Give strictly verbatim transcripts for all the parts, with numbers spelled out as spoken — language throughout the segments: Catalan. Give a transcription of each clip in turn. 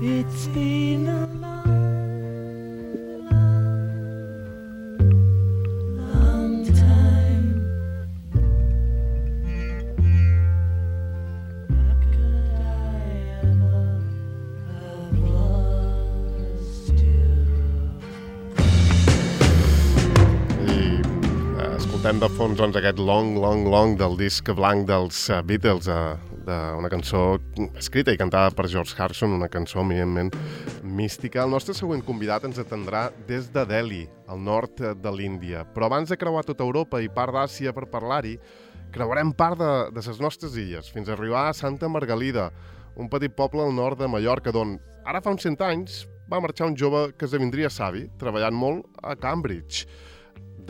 It's been a long, long, long time. How could I ever have lost you? I eh, escoltem de fons doncs, aquest Long, Long, Long del disc blanc dels uh, Beatles, uh, d'una cançó escrita i cantada per George Harrison, una cançó eminentment mística. El nostre següent convidat ens atendrà des de Delhi, al nord de l'Índia. Però abans de creuar tota Europa i part d'Àsia per parlar-hi, creuarem part de, de les nostres illes, fins a arribar a Santa Margalida, un petit poble al nord de Mallorca, d'on ara fa uns cent anys va marxar un jove que esdevindria savi, treballant molt a Cambridge.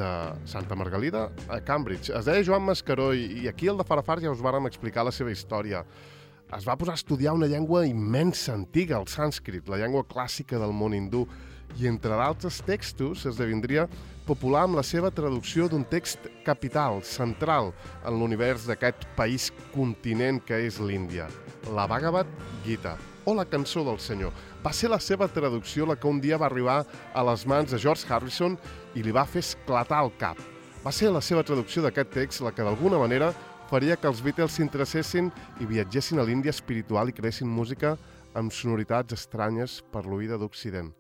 De Santa Margalida a Cambridge. Es deia Joan Mascaró i, i aquí al de Farafar ja us vàrem explicar la seva història. Es va posar a estudiar una llengua immensa, antiga, el sànscrit, la llengua clàssica del món hindú, i entre d'altres textos esdevindria popular amb la seva traducció d'un text capital, central, en l'univers d'aquest país continent que és l'Índia, la Bhagavad Gita, o la cançó del Senyor. Va ser la seva traducció la que un dia va arribar a les mans de George Harrison i li va fer esclatar el cap. Va ser la seva traducció d'aquest text la que d'alguna manera faria que els Beatles s'interessessin i viatgessin a l'Índia espiritual i creessin música amb sonoritats estranyes per l'oïda d'Occident.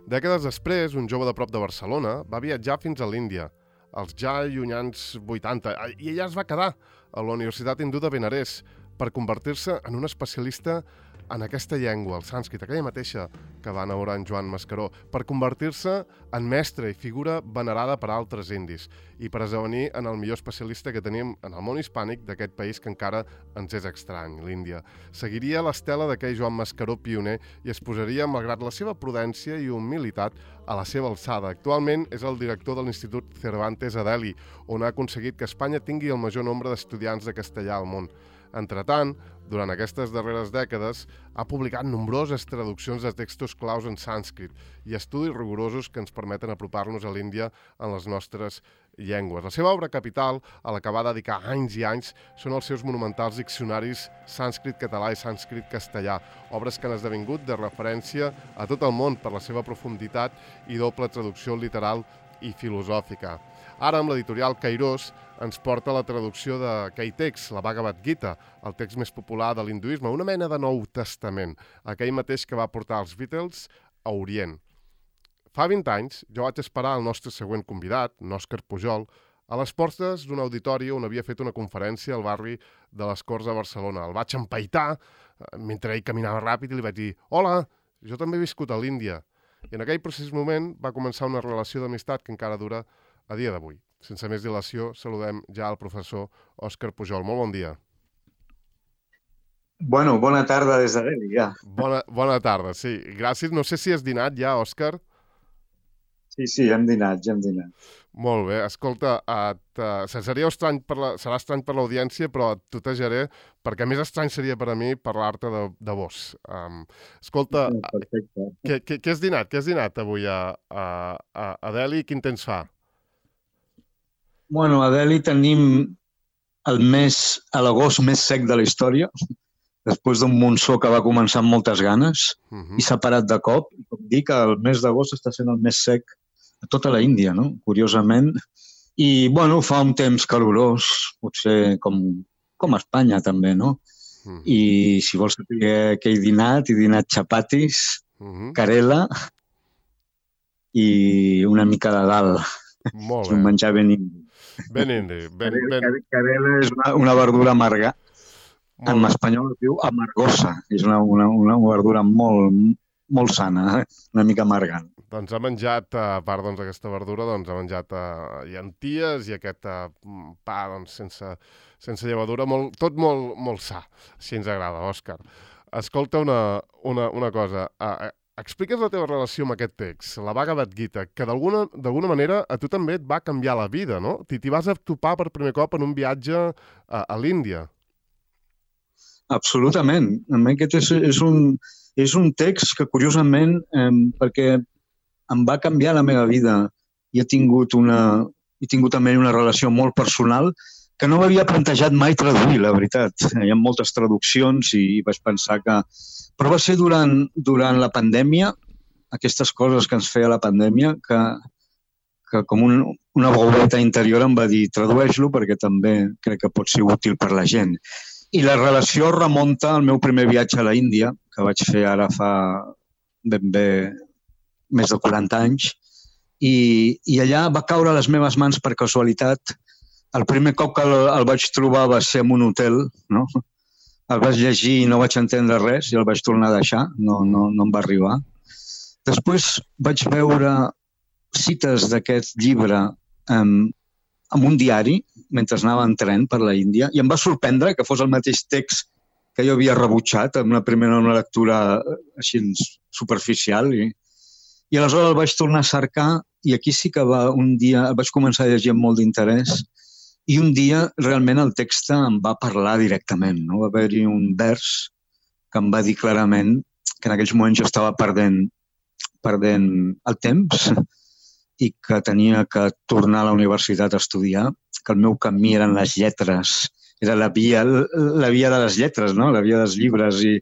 Dècades després, un jove de prop de Barcelona va viatjar fins a l'Índia, als ja llunyans vuitanta, i ella es va quedar a la Universitat Hindú de Benarés per convertir-se en un especialista en aquesta llengua, el sànscrit, aquella mateixa que va enamorar en Joan Mascaró, per convertir-se en mestre i figura venerada per altres indis i per esdevenir en el millor especialista que tenim en el món hispànic d'aquest país que encara ens és estrany, l'Índia. Seguiria l'estela d'aquell Joan Mascaró pioner i es posaria, malgrat la seva prudència i humilitat, a la seva alçada. Actualment és el director de l'Institut Cervantes a Delhi, on ha aconseguit que Espanya tingui el major nombre d'estudiants de castellà al món. Entretant, durant aquestes darreres dècades, ha publicat nombroses traduccions de textos claus en sànscrit i estudis rigorosos que ens permeten apropar-nos a l'Índia en les nostres llengües. La seva obra capital, a la que va dedicar anys i anys, són els seus monumentals diccionaris sànscrit català i sànscrit castellà, obres que han esdevingut de referència a tot el món per la seva profunditat i doble traducció literal i filosòfica. Ara, amb l'editorial Kairos, ens porta la traducció d'aquell text, la Bhagavad Gita, el text més popular de l'hinduisme, una mena de Nou Testament, aquell mateix que va portar els Beatles a Orient. Fa vint anys, jo vaig esperar el nostre següent convidat, Òscar Pujol, a les portes d'un auditori on havia fet una conferència al barri de les Corts de Barcelona. El vaig empaitar mentre ell caminava ràpid i li vaig dir «Hola, jo també he viscut a l'Índia». I en aquell precís moment va començar una relació d'amistat que encara dura a dia d'avui. Sense més dilació, saludem ja al professor Òscar Pujol. Molt bon dia. Bueno, bona tarda des de Delhi, ja. Bona, bona tarda, sí. Gràcies. No sé si has dinat ja, Òscar. Sí, sí, hem dinat, ja hem dinat. Molt bé. Escolta, et, uh, seria estrany per la, serà estrany per l'audiència, però et tutejaré, perquè més estrany seria per a mi parlar-te de, de vos. Um, escolta, Perfecte. què, què, què has dinat? Què has dinat avui a, a, a, a Delhi? Quin temps fa? Bueno, a Delhi tenim el mes, a l'agost més sec de la història, després d'un monsó que va començar amb moltes ganes Uh -huh. i s'ha parat de cop. I com dic, el mes d'agost està sent el més sec a tota la Índia, no? Curiosament. I, bueno, fa un temps calorós, potser com, com a Espanya també, no? Uh -huh. I si vols saber què he dinat, he dinat xapatis, Uh -huh. carela i una mica de dal. Molt És un bé. menjar ben indi. Ben indi. Ben, ben... Carela és una, una verdura amarga. En Molt... espanyol es diu amargosa. És una, una, una verdura molt, molt sana, eh? Una mica amargant. Doncs ha menjat, a part doncs, d'aquesta verdura, doncs ha menjat uh, llenties i aquest uh, pa doncs, sense, sense llevadura, molt, tot molt, molt sa. Així ens agrada, Òscar. Escolta una, una, una cosa. Uh, Expliques la teva relació amb aquest text, la Bhagavad Gita, que d'alguna d'alguna manera a tu també et va canviar la vida, no? T'hi vas a topar per primer cop en un viatge a, a l'Índia. Absolutament. A mi aquest és, és, un, és un text que, curiosament, eh, perquè em va canviar la meva vida i he tingut, una, he tingut també una relació molt personal que no m'havia plantejat mai traduir, la veritat. Hi ha moltes traduccions i vaig pensar que... Però va ser durant, durant la pandèmia, aquestes coses que ens feia la pandèmia, que, que com un, una veureta interior em va dir tradueix-lo perquè també crec que pot ser útil per la gent. I la relació remunta al meu primer viatge a la Índia, que vaig fer ara fa ben bé més de quaranta anys, i, i allà va caure a les meves mans per casualitat. El primer cop que el, el vaig trobar va ser en un hotel, no? El vaig llegir i no vaig entendre res i el vaig tornar a deixar, no, no, no em va arribar. Després vaig veure cites d'aquest llibre en, en un diari mentre anava en tren per la Índia i em va sorprendre que fos el mateix text que jo havia rebutjat en una primera una lectura així superficial i, i aleshores el vaig tornar a cercar i aquí sí que va un dia, el vaig començar a llegir amb molt d'interès i un dia realment el text em va parlar directament, no? Va haver-hi un vers que em va dir clarament que en aquells moments jo estava perdent, perdent el temps i que tenia que tornar a la universitat a estudiar, que el meu camí eren les lletres, era la via, la via de les lletres, no? La via dels llibres i,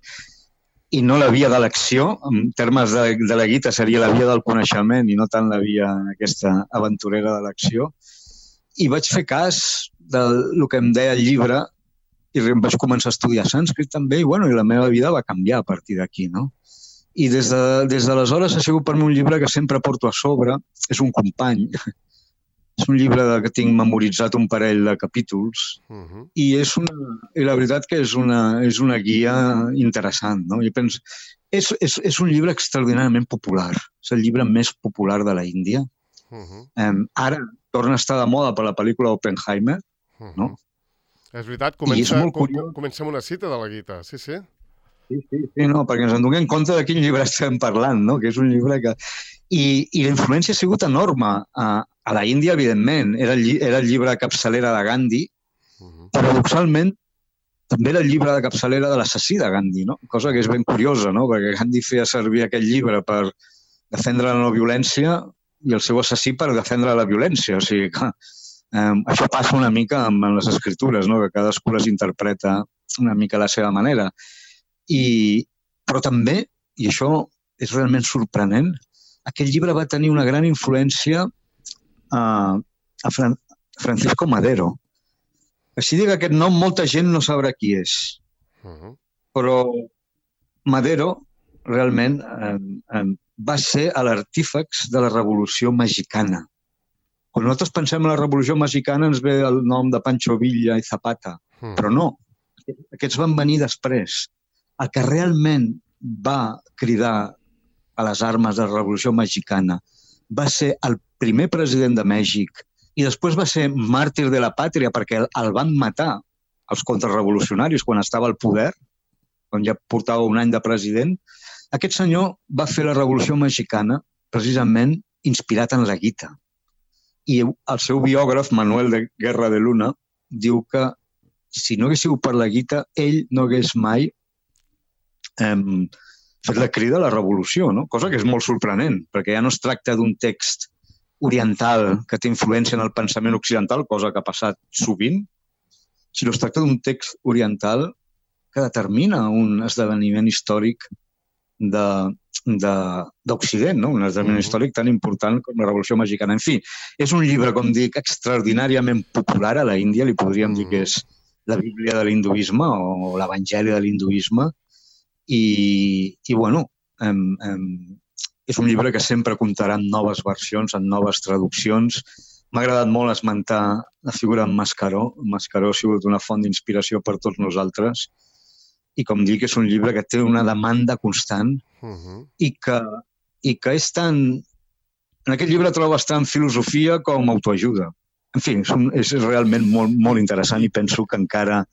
i no la via de l'acció, en termes de, de la guita seria la via del coneixement i no tant la via aquesta aventurera de l'acció. I vaig fer cas del que em deia el llibre i em vaig començar a estudiar sànscrit també i, bueno, i la meva vida va canviar a partir d'aquí, no? I des de, des d'aleshores ha sigut per mi un llibre que sempre porto a sobre. És un company. És un llibre que tinc memoritzat un parell de capítols uh-huh. i, és una, i la veritat que és una, és una guia interessant. No? Jo penso, és, és, és un llibre extraordinàriament popular. És el llibre més popular de la Índia. Uh-huh. Um, ara torna a estar de moda per la pel·lícula Oppenheimer. Uh-huh. No? És veritat, comença, és com, comença amb una cita de la Gita. Sí, sí. Sí, sí, sí, no, perquè ens en donem compte de quin llibre estem parlant, no? Que és un llibre que... I, i la influència ha sigut enorme. A, a la Índia, evidentment, era el, era el llibre de capçalera de Gandhi. Uh-huh. Paradoxalment, també era el llibre de capçalera de l'assassí de Gandhi, no? Cosa que és ben curiosa, no? Perquè Gandhi feia servir aquest llibre per defendre la no violència i el seu assassí per defendre la violència. O sigui que eh, això passa una mica amb, amb les escritures, no? Que cadascú les interpreta una mica a la seva manera. I, però també, i això és realment sorprenent, aquest llibre va tenir una gran influència a, a Fran, Francisco Madero. Així que aquest nom molta gent no sabrà qui és. Uh-huh. Però Madero realment eh, eh, va ser l'artífex de la Revolució Mexicana. Quan nosaltres pensem en la Revolució Mexicana ens ve el nom de Pancho Villa i Zapata, uh-huh. però no, aquests van venir després. El que realment va cridar a les armes de la Revolució Mexicana va ser el primer president de Mèxic i després va ser màrtir de la pàtria perquè el van matar els contrarrevolucionaris quan estava al poder, quan ja portava un any de president. Aquest senyor va fer la Revolució Mexicana precisament inspirat en la guita. I el seu biògraf, Manuel de Guerra de Luna, diu que si no hagués sigut per la guita, ell no hagués mai Um, fet la crida a la revolució, no? Cosa que és molt sorprenent, perquè ja no es tracta d'un text oriental que té influència en el pensament occidental, cosa que ha passat sovint, sinó es tracta d'un text oriental que determina un esdeveniment històric d'Occident, no? Un esdeveniment mm-hmm. històric tan important com la Revolució Mexicana. En fi, és un llibre, com dic, extraordinàriament popular a la Índia, li podríem mm-hmm. dir que és la Bíblia de l'hinduisme o l'Evangeli de l'hinduisme. I, i bueno, em, em, és un llibre que sempre comptarà en noves versions, en noves traduccions. M'ha agradat molt esmentar la figura de Mascaró. Mascaró ha sigut una font d'inspiració per tots nosaltres i, com dic, és un llibre que té una demanda constant uh-huh. i, que, i que és tan... En aquest llibre trobes tant filosofia com autoajuda. En fi, és, un, és realment molt, molt interessant i penso que encara,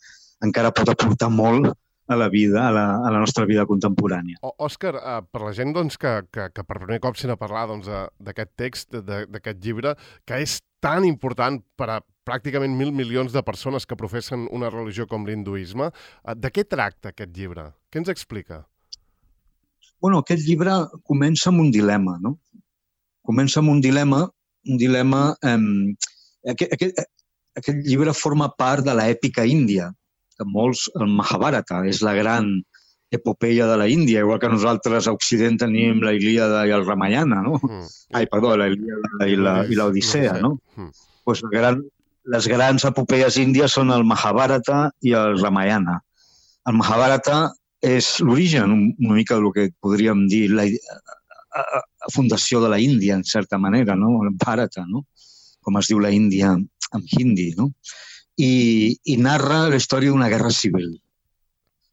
encara pot aportar molt a la vida, a la, a la nostra vida contemporània. Òscar, uh, per la gent doncs, que, que, que per primer cop sent a parlar doncs, d'aquest text, d'aquest llibre, que és tan important per a pràcticament mil milions de persones que professen una religió com l'hinduisme, uh, de què tracta aquest llibre? Què ens explica? Bueno, aquest llibre comença amb un dilema, no? Comença amb un dilema un dilema... Eh, aquest, aquest, aquest llibre forma part de l'èpica índia, que molts, el Mahabharata és la gran epopeia de la Índia, igual que nosaltres a Occident tenim la Ilíada i el Ramayana, no? Mm. Ai, perdó, la Ilíada i la, i l'Odissea, no? Mm. Pues la gran, les grans epopeies índies són el Mahabharata i el Ramayana. El Mahabharata és l'origen una mica del que podríem dir la, la, la fundació de la Índia, en certa manera, no? El Bharata, no? Com es diu la Índia en hindi, no? I, i narra la història d'una guerra civil.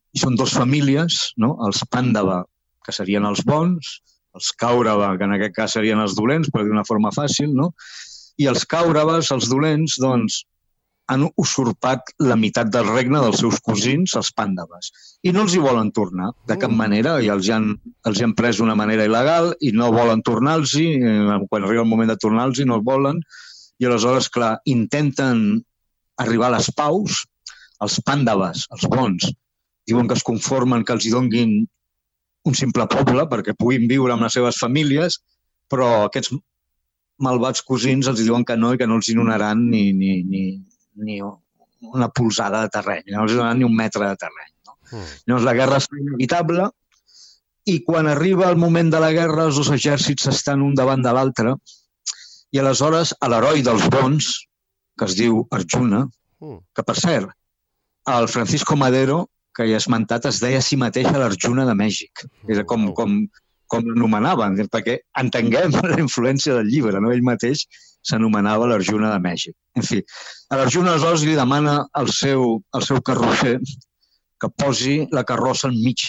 I són dues famílies, no? Els Pàndava, que serien els bons, els Kaurava, que en aquest cas serien els dolents, però d'una forma fàcil, no? I els Kauraves, els dolents, doncs, han usurpat la meitat del regne dels seus cosins, els Pàndaves. I no els hi volen tornar, de cap manera, i els hi han, els hi han pres d'una manera il·legal i no volen tornar-los-hi, quan arriba el moment de tornar-los-hi no el volen, i aleshores, clar, intenten arribar a les paus, els Pàndaves, els bons, diuen que es conformen que els hi donguin un simple poble perquè puguin viure amb les seves famílies, però aquests malvats cosins els diuen que no i que no els hi donaran ni, ni, ni, ni una polzada de terreny, no els hi donaran ni un metre de terreny. No? Mm. Llavors la guerra és inevitable i quan arriba el moment de la guerra els dos exèrcits estan un davant de l'altre i aleshores l'heroi dels bons, que es diu Arjuna, que per cert, el Francisco Madero, que ja he esmentat, es deia a si mateix a l'Arjuna de Mèxic. És com, com, com l'anomenaven, perquè entenguem la influència del llibre, no? Ell mateix s'anomenava l'Arjuna de Mèxic. En fi, a l'Arjuna aleshores li demana al seu, al seu carrosser que posi la carrossa enmig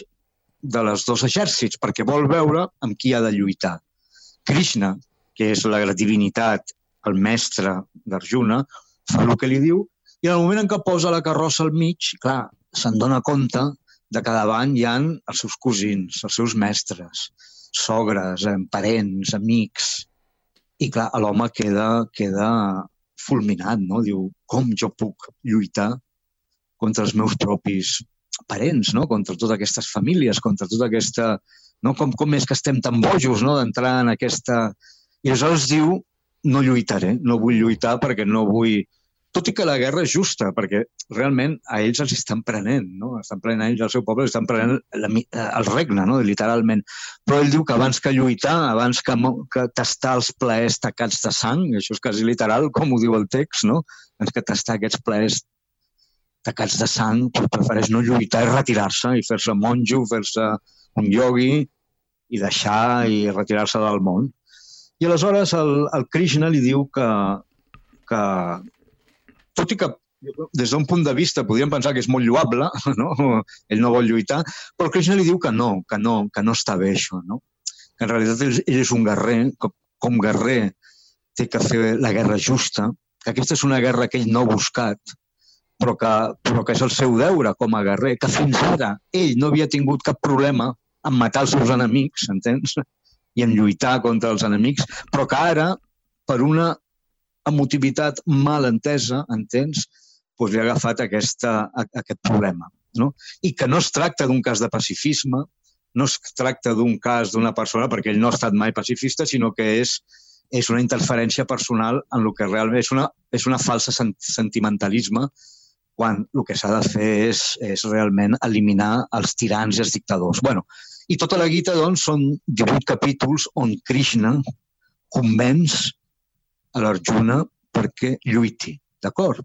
de les dos exèrcits, perquè vol veure amb qui ha de lluitar. Krishna, que és la divinitat, el mestre d'Arjuna, fa el que li diu, i en el moment en què posa la carrossa al mig, clar, se'n dona compte de que davant hi ha els seus cosins, els seus mestres, sogres, parents, amics. I clar, l'home queda, queda fulminat, no? Diu, com jo puc lluitar contra els meus propis parents, no? Contra totes aquestes famílies, contra tota aquesta... No? Com, com és que estem tan bojos, no? D'entrar en aquesta... I aleshores diu, no lluitaré, no vull lluitar perquè no vull... Tot i que la guerra és justa, perquè realment a ells els estan prenent, no? Estan prenent a ells el seu poble, estan prenent la, el regne, no? Literalment. Però ell diu que abans que lluitar, abans que, que tastar els plaers tacats de sang, això és quasi literal, com ho diu el text, no? Abans que tastar aquests plaers tacats de sang, prefereix no lluitar i retirar-se, i fer-se monjo, fer-se un iogui, i deixar i retirar-se del món. I aleshores el, el Krishna li diu que, que tot i que des d'un punt de vista podríem pensar que és molt lloable, no? Ell no vol lluitar, però Krishna li diu que no, que no, que no està bé això, no? Que en realitat ell, ell és un guerrer, que com guerrer té que fer la guerra justa, que aquesta és una guerra que ell no ha buscat, però que, però que és el seu deure com a guerrer, que fins ara ell no havia tingut cap problema en matar els seus enemics, entens? I en lluitar contra els enemics, però que ara, per una emotivitat mal entesa, entens, doncs li ha agafat aquesta, aquest problema. No? I que no es tracta d'un cas de pacifisme, no es tracta d'un cas d'una persona, perquè ell no ha estat mai pacifista, sinó que és, és una interferència personal en el que realment és una, és una falsa sentimentalisme, quan el que s'ha de fer és, és realment eliminar els tirans i els dictadors. Bueno, i tota la Gita, doncs, són divuit capítols on Krishna convenç a l'Arjuna perquè lluiti, d'acord?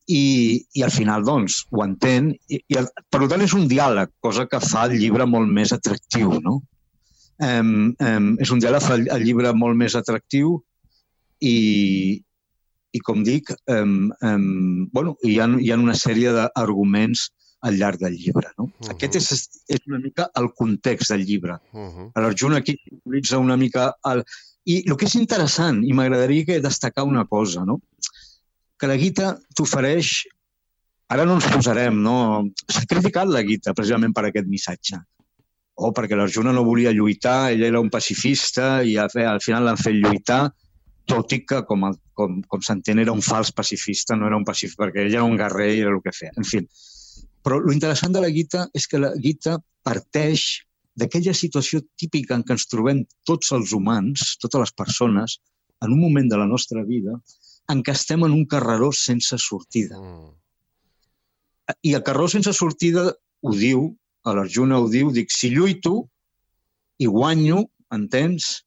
I, i al final, doncs, ho entén. I, i el, per tant, és un diàleg, cosa que fa el llibre molt més atractiu, no? Um, um, és un diàleg, fa el, el llibre molt més atractiu i, i com dic, um, um, bueno, hi ha, hi ha una sèrie d'arguments al llarg del llibre, no? Uh-huh. Aquest és, és una mica el context del llibre. Uh-huh. L'Arjuna aquí utilitza una mica... El, I el que és interessant, i m'agradaria destacar una cosa, no? Que la Gita t'ofereix... Ara no ens posarem, no? S'ha criticat la Gita precisament per aquest missatge. O perquè l'Arjuna no volia lluitar, ell era un pacifista i al final l'han fet lluitar, tot i que, com, com, com s'entén, era un fals pacifista, no era un pacifista, perquè ell era un guerrer i era el que feia. En fi, però l'interessant de la Gita és que la Gita parteix d'aquella situació típica en què ens trobem tots els humans, totes les persones, en un moment de la nostra vida en què estem en un carreró sense sortida. Mm. I el carreró sense sortida ho diu, a l'Arjuna ho diu, dic, si lluito i guanyo, entens,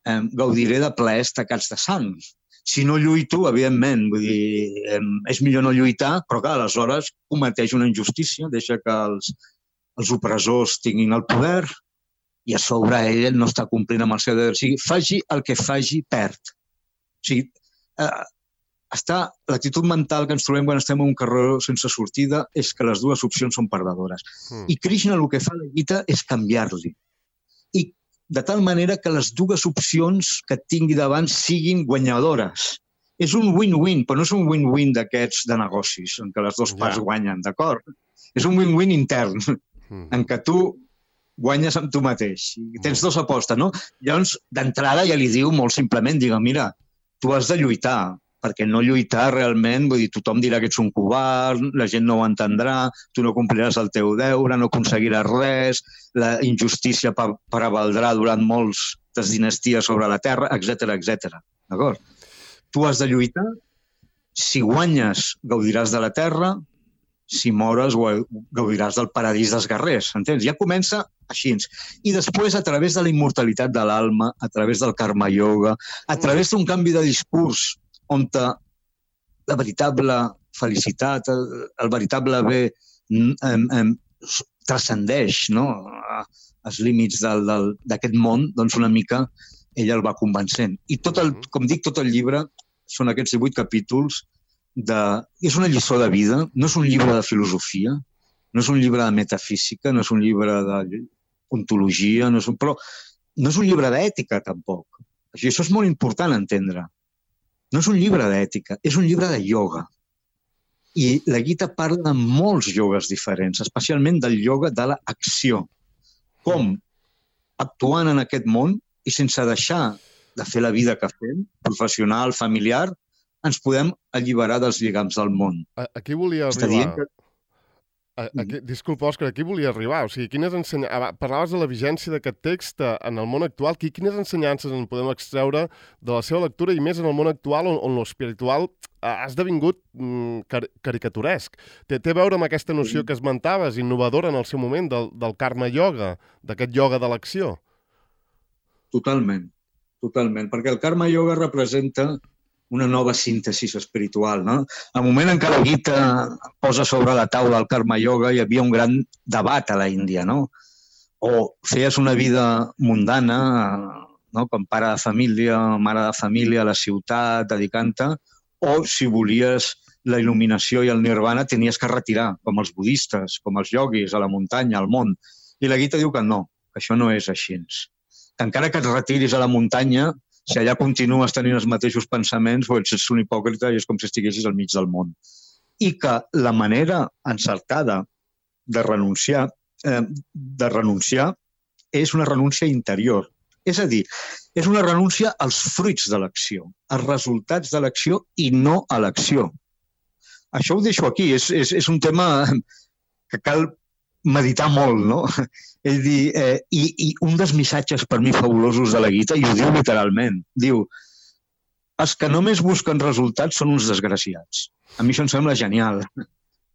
eh, gaudiré de plaers tacats de sang. Si no lluito, evidentment, vull dir, eh, és millor no lluitar, però clar, aleshores cometeix una injustícia, deixa que els, els opressors tinguin el poder i a sobre ell no està complint amb el seu deure. O sigui, faci el que faci, perd. O sigui, eh, està, l'actitud mental que ens trobem quan estem en un carreró sense sortida és que les dues opcions són perdedores. Mm. I Krishna el que fa a la Gita és canviar-li. I de tal manera que les dues opcions que tingui davant siguin guanyadores. És un win-win, però no és un win-win d'aquests de negocis, en què les dues parts Ja. guanyen, d'acord? És un win-win intern, Mm. en què tu guanyes amb tu mateix. I tens dos apostes, no? Llavors, d'entrada ja li diu molt simplement, digue, mira, tu has de lluitar, perquè no lluitar realment, vull dir, tothom dirà que ets un covard, la gent no ho entendrà, tu no compliràs el teu deure, no aconseguiràs res, la injustícia pre- prevaldrà durant moltes dinasties sobre la terra, etcètera, etcètera. D'acord? Tu has de lluitar, si guanyes gaudiràs de la terra, si mores gaudiràs del paradís dels guerrers, entens? Ja comença així. I després, a través de la immortalitat de l'alma, a través del karma yoga, a través d'un canvi de discurs on la veritable felicitat, el, el veritable bé em, em, transcendeix, no? Els límits del, del, d'aquest món, doncs una mica ell el va convencent. I tot el, com dic, tot el llibre són aquests divuit capítols de... És una lliçó de vida, no és un llibre de filosofia, no és un llibre de metafísica, no és un llibre de ontologia, no és un... però no és un llibre d'ètica, tampoc. Això és molt important entendre. No és un llibre d'ètica, és un llibre de ioga. I la Gita parla de molts iogues diferents, especialment del ioga de l'acció. Com, actuant en aquest món i sense deixar de fer la vida que fem, professional, familiar, ens podem alliberar dels lligams del món. A- Aquí volia Està arribar... dient que... A- Aquí, disculpa, Òscar, aquí volia arribar. O sigui, quines ensenya... ah, parlaves de la vigència d'aquest text eh, en el món actual. Qui- Quines ensenyances en podem extreure de la seva lectura i més en el món actual on, on l'espiritual ha esdevingut mm, car caricaturesc? Té, té a veure amb aquesta noció que esmentaves, innovadora en el seu moment, del, del karma yoga, d'aquest yoga de l'acció. Totalment, totalment, perquè el karma yoga representa una nova síntesi espiritual, no? Al moment en què la Gita posa sobre la taula el karma yoga, hi havia un gran debat a la Índia, no? O feies una vida mundana, no? Com pare de família, mare de família, a la ciutat, dedicant-te, o si volies la il·luminació i el nirvana tenies que retirar, com els budistes, com els ioguis, a la muntanya, al món. I la Gita diu que no, que això no és així. Que encara que et retiris a la muntanya, si allà continues tenint els mateixos pensaments, doncs ets un hipòcrita i és com si estiguessis al mig del món. I que la manera encertada de renunciar, eh, de renunciar és una renúncia interior. És a dir, és una renúncia als fruits de l'acció, als resultats de l'acció i no a l'acció. Això ho deixo aquí, és, és, és un tema que cal meditar molt, no? Ell dir, eh, i, I un dels missatges per mi fabulosos de la Gita, i ho diu literalment, diu, els que només busquen resultats són uns desgraciats. A mi això em sembla genial.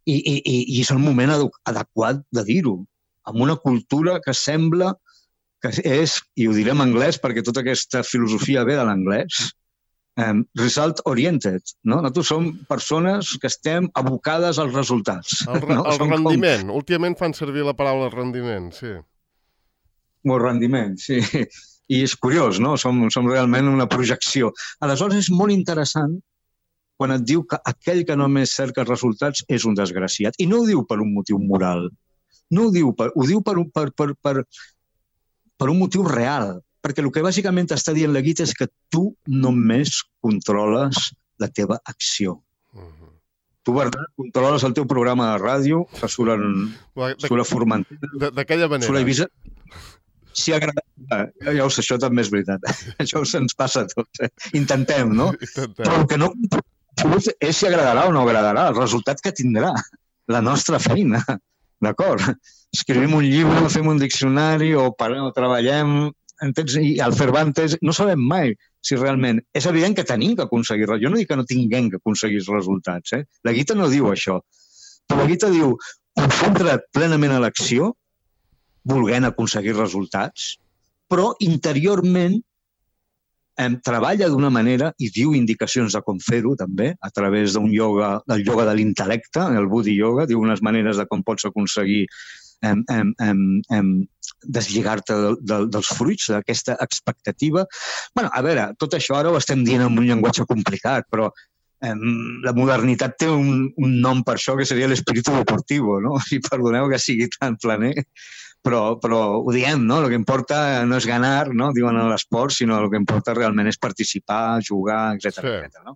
I, i, i, i és el moment adequat de dir-ho, amb una cultura que sembla que és, i ho diré en anglès perquè tota aquesta filosofia ve de l'anglès, Um, result oriented, no? Nosaltres som persones que estem abocades als resultats. El, re no? el Som rendiment. Com... Últimament fan servir la paraula rendiment, sí. Com... rendiment, sí. I és curiós, no? Som, som realment una projecció. Aleshores és molt interessant quan et diu que aquell que només cerca resultats és un desgraciat. I no ho diu per un motiu moral. No ho diu, per, ho diu per, per, per, per, per un motiu real. Perquè el que bàsicament t'està dient la Gita és que tu només controles la teva acció. Uh-huh. Tu, Bernat, controles el teu programa de ràdio, que surt a, surt a Formentera. D'aquella manera. Surt a Eivissa. Si agrada... Ja ho sé, això també és veritat. Això se'ns passa a tots. Eh? Intentem, no? Intentem. Però el que no és si agradarà o no agradarà, el resultat que tindrà la nostra feina. D'acord? Escrivim un llibre, fem un diccionari o, o treballem... Entens? I al Cervantes no sabem mai si realment... És evident que tenim que aconseguir... Jo no dic que no tinguem que aconseguir els resultats, eh? La Gita no diu això. Però la Gita diu, concentra't plenament a l'acció, volent aconseguir resultats, però interiorment em treballa d'una manera i diu indicacions de com fer-ho, també, a través d'un yoga, del yoga de l'intel·lecte, el Buddhi Yoga, diu unes maneres de com pots aconseguir em, em, em, em, deslligar-te de, de, dels fruits, d'aquesta expectativa. Bueno, a veure, tot això ara ho estem dient en un llenguatge complicat, però em, la modernitat té un, un nom per això que seria l'espíritu deportivo, no? I perdoneu que sigui tan planer, però, però ho diem, no? El que importa no és ganar, no? Diuen a l'esport, sinó el que importa realment és participar, jugar, etcètera, Sí. etcètera, no?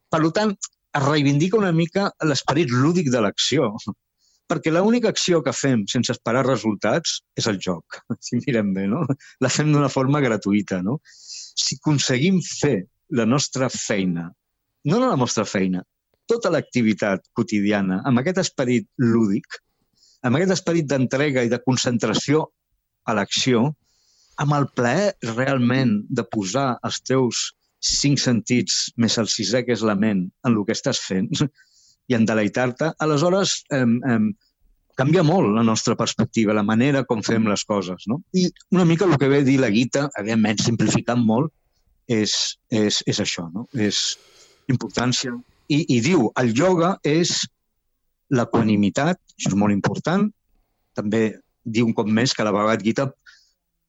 Per tant, es reivindica una mica l'esperit lúdic de l'acció, perquè l'única acció que fem sense esperar resultats és el joc, si mirem bé, no? La fem d'una forma gratuïta, no? Si aconseguim fer la nostra feina, no la nostra feina, tota l'activitat quotidiana amb aquest esperit lúdic, amb aquest esperit d'entrega i de concentració a l'acció, amb el plaer realment de posar els teus cinc sentits més el sisè, que és la ment, en el que estàs fent i en deleitar-te, aleshores eh, eh, canvia molt la nostra perspectiva, la manera com fem les coses, no? I una mica el que ve a dir la Gita, evidentment simplificant molt, és, és, és això, no? És importància. I, I diu, el ioga és l'equanimitat, això és molt important. També diu un cop més que a la Bhagavad Gita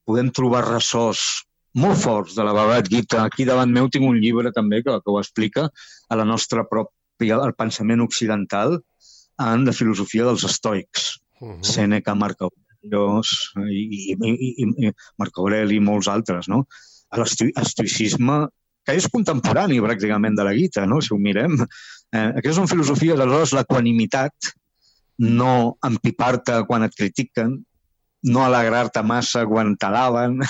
podem trobar ressorts molt forts de la Bhagavad Gita. Aquí davant meu tinc un llibre també que, que ho explica a la nostra pròpia, al pensament occidental en la filosofia dels estoics. Uh -huh. Sèneca, Marc Aureli i, i, i, i Marc Aureli i molts altres, no? L'estoicisme, que és contemporani pràcticament de la Gita, no? Si ho mirem. Eh, aquestes són filosofies, aleshores, l'equanimitat, no empipar-te quan et critiquen, no alegrar-te massa quan t'alaben,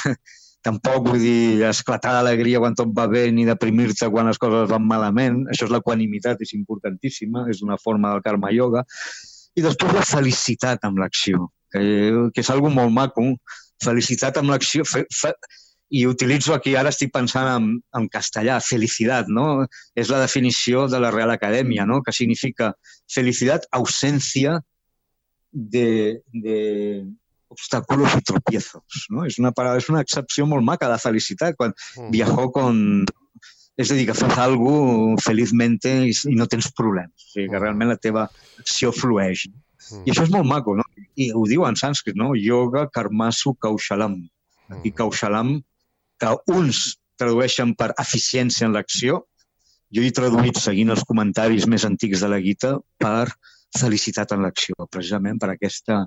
tampoc vull dir esclatar d'alegria quan tot va bé ni deprimir-te quan les coses van malament. Això és l'equanimitat, és importantíssima, és una forma del karma yoga. I després la felicitat amb l'acció, que, que és algo molt maco. Felicitat amb l'acció... Fe, fe, I utilitzo aquí, ara estic pensant en, en castellà, felicitat, no? És la definició de la Real Acadèmia, no? Que significa felicitat, ausència de, de obstáculos y tropiezos, no? És una, paraula, és una excepció molt maca de felicitat, quan mm. viajó con... És a dir, que fas alguna cosa felizmente i, i no tens problemes. O sigui, que realment la teva acció flueix. Mm. I això és molt maco, no? I ho diu en sànscrit, no? Yoga karmasu kaushalam. Aquí kaushalam, que uns tradueixen per eficiència en l'acció, jo he traduït, seguint els comentaris més antics de la Gita, per felicitat en l'acció, precisament per aquesta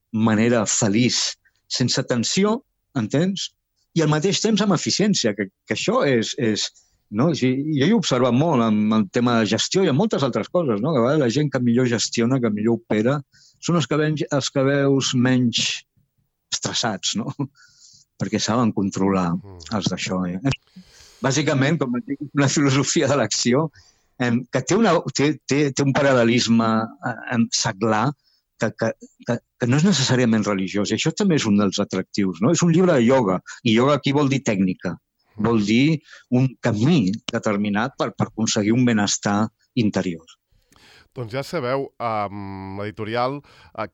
manera feliç, sense tensió, entens? I al mateix temps amb eficiència, que, que això és... és no? Jo he observat molt amb el tema de gestió i amb moltes altres coses, no? Que a vegades la gent que millor gestiona, que millor opera, són els que, ven, els que veus menys estressats, no? Perquè saben controlar els d'això. Eh? Bàsicament, com dic, una filosofia de l'acció eh, que té, una, té, té, té un paral·lelisme eh, seglar que, que, que, que no és necessàriament religiós. I això també és un dels atractius, no? És un llibre de ioga, i ioga aquí vol dir tècnica, vol dir un camí determinat per, per aconseguir un benestar interior. Doncs ja sabeu, amb l'editorial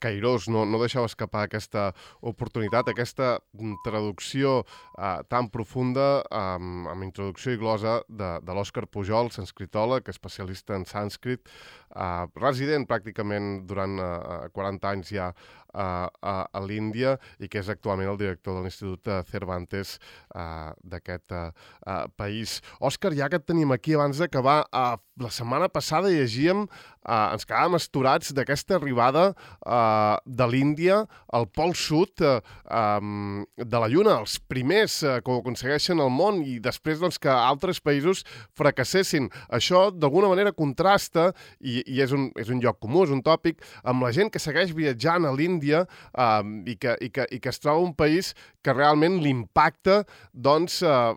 Cairós no, no deixeu escapar aquesta oportunitat, aquesta traducció eh, tan profunda, amb, amb introducció i glosa de, de l'Òscar Pujol, sanscritòleg, especialista en sànscrit, eh, resident pràcticament durant eh, quaranta anys ja a, a, a l'Índia i que és actualment el director de l'Institut Cervantes uh, d'aquest uh, uh, país. Òscar, ja que et tenim aquí, abans d'acabar, uh, la setmana passada llegíem, uh, ens quedàvem astorats d'aquesta arribada uh, de l'Índia al pol sud uh, um, de la Lluna, els primers uh, que ho aconsegueixen al món i després doncs, que altres països fracassessin. Això d'alguna manera contrasta i, i és, un, és un lloc comú, és un tòpic, amb la gent que segueix viatjant a l'Índia l'Índia eh, i, que, i, que, i que es troba un país que realment l'impacta doncs, eh,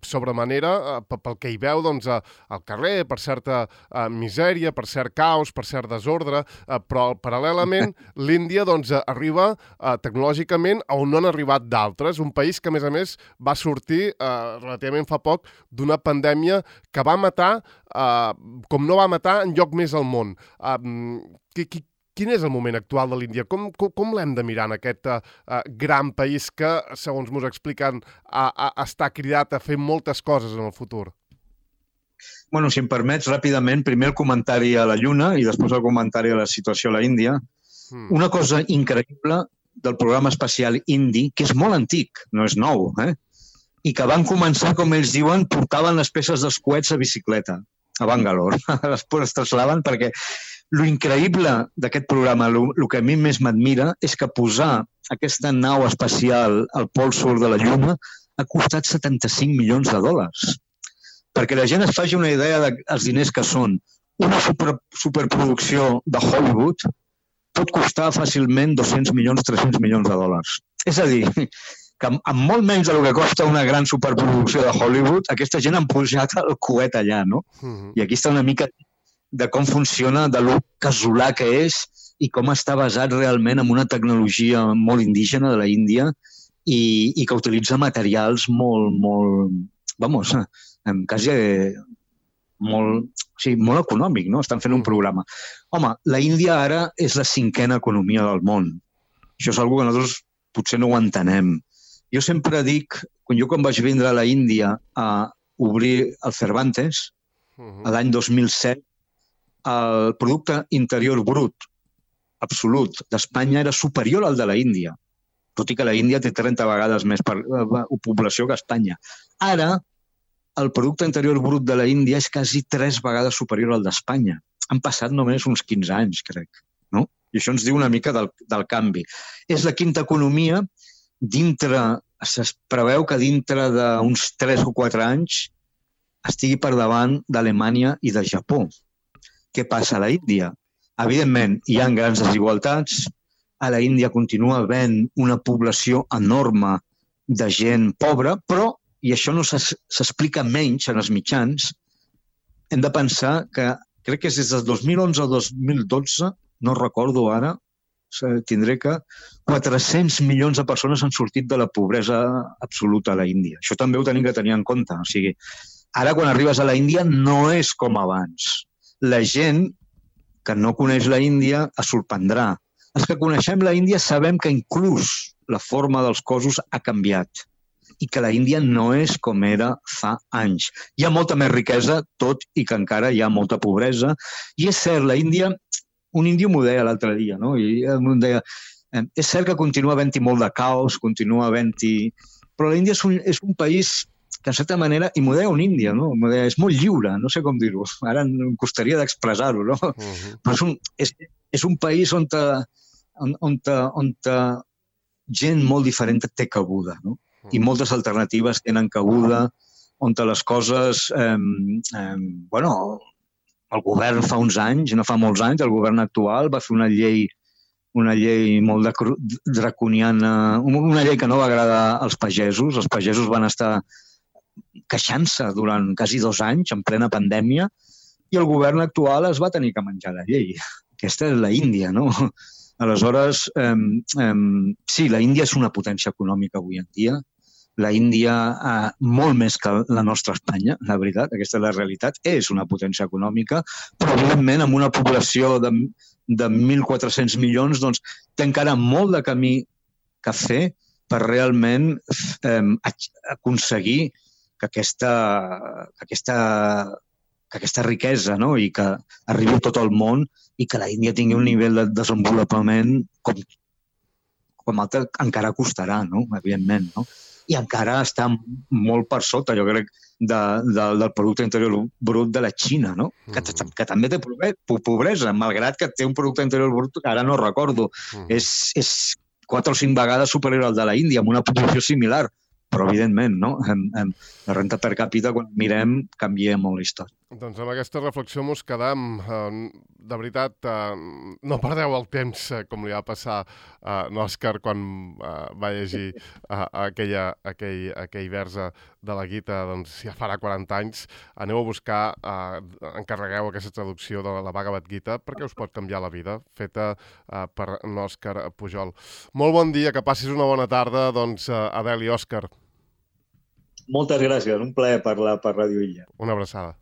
sobre manera eh, pel que hi veu doncs, eh, al carrer, per certa eh, misèria, per cert caos, per cert desordre, eh, però paral·lelament l'Índia doncs, arriba eh, tecnològicament a on no han arribat d'altres, un país que a més a més va sortir eh, relativament fa poc d'una pandèmia que va matar eh, com no va matar enlloc més al món. Eh, qui, qui, Quin és el moment actual de l'Índia? Com, com, com l'hem de mirar en aquest uh, gran país que, segons m'ho expliquen, uh, uh, està cridat a fer moltes coses en el futur? Bueno, si em permets, ràpidament, primer el comentari a la Lluna i després el comentari a la situació a la Índia. Mm. Una cosa increïble del programa espacial indi, que és molt antic, no és nou, eh? I que van començar, com ells diuen, portaven les peces dels coets a bicicleta, a Bangalore. Després es trasllaven perquè lo increïble d'aquest programa, el que a mi més m'admira, és que posar aquesta nau espacial al pol sud de la Lluna ha costat setanta-cinc milions de dòlars. Perquè la gent es faci una idea dels diners que són. Una super, superproducció de Hollywood pot costar fàcilment dos-cents milions, tres-cents milions de dòlars. És a dir, que amb molt menys del que costa una gran superproducció de Hollywood, aquesta gent han pujat el coet allà, no? Uh-huh. I aquí està una mica de com funciona, de lo casolà que és i com està basat realment en una tecnologia molt indígena de la Índia i, i que utilitza materials molt, molt, vamos, quasi molt, o sigui, molt econòmic, no? Estan fent un programa. Home, la Índia ara és la cinquena economia del món. Això és una cosa que nosaltres potser no ho entenem. Jo sempre dic, quan jo quan vaig vindre a la Índia a obrir el Cervantes, l'any dos mil set, el producte interior brut absolut d'Espanya era superior al de la Índia, tot i que la Índia té trenta vegades més per, uh, població que Espanya. Ara, el producte interior brut de la Índia és quasi tres vegades superior al d'Espanya. Han passat només uns quinze anys, crec. No? I això ens diu una mica del, del canvi. És la quinta economia. Dintre, es preveu que dintre d'uns tres o quatre anys estigui per davant d'Alemanya i de Japó. Què passa a la Índia? Evidentment, hi ha grans desigualtats. A la Índia continua havent una població enorme de gent pobra, però, i això no s'explica menys en els mitjans, hem de pensar que, crec que és des del dos mil onze o dos mil dotze, no recordo ara, tindré que quatre-cents milions de persones han sortit de la pobresa absoluta a la Índia. Això també ho tenim que tenir en compte. O sigui, ara quan arribes a la Índia no és com abans. La gent que no coneix la Índia es sorprendrà. Els que coneixem la Índia sabem que inclús la forma dels cossos ha canviat i que la Índia no és com era fa anys. Hi ha molta més riquesa, tot i que encara hi ha molta pobresa. I és cert, la Índia, un índio m'ho deia l'altre dia, no? I em deia, és cert que continua havent-hi molt de caos, continua havent-hi... Però la Índia és un, és un país que, en certa manera, i m'ho deia un índia, no? M'ho deia, és molt lliure, no sé com dir-ho. Ara em costaria d'expressar-ho, no? Uh-huh. Però és un, és, és un país on, te, on, on, te, on te, gent molt diferent té cabuda, no? I moltes alternatives tenen cabuda, on les coses... Eh, eh, bueno, el govern fa uns anys, no fa molts anys, el govern actual va fer una llei una llei molt draconiana, una llei que no va agradar als pagesos. Els pagesos van estar queixant-se durant quasi dos anys, en plena pandèmia, i el govern actual es va tenir que menjar la llei. Aquesta és la Índia, no? Aleshores, eh, eh, sí, la Índia és una potència econòmica avui en dia. La Índia, eh, molt més que la nostra Espanya, la veritat, aquesta és la realitat, és una potència econòmica, però evidentment amb una població de, de mil quatre-cents milions, doncs té encara molt de camí que fer per realment eh, aconseguir que aquesta, que aquesta, que aquesta riquesa, no? I que arribi a tot el món i que la Índia tingui un nivell de desenvolupament com, com altre encara costarà, no? Evidentment, no? I encara està molt per sota, jo crec, de, de, del producte interior brut de la Xina, no? Que, que també té pobresa, malgrat que té un producte interior brut, ara no recordo, és, és quatre o cinc vegades superior al de la Índia, amb una població similar, però evidentment, no? En, en la renta per càpita, quan mirem, canvia molt la història. Doncs amb aquesta reflexió mos quedam. De veritat, no perdeu el temps, com li va passar a l'Òscar quan va llegir aquella, aquell, aquell versa de la Gita, doncs ja farà quaranta anys. Aneu a buscar, encarregueu aquesta traducció de la Bhagavad Gita perquè us pot canviar la vida, feta per l'Òscar Pujol. Molt bon dia, que passis una bona tarda, doncs, Adel i Òscar. Moltes gràcies, un plaer parlar per Ràdio Illa. Una abraçada.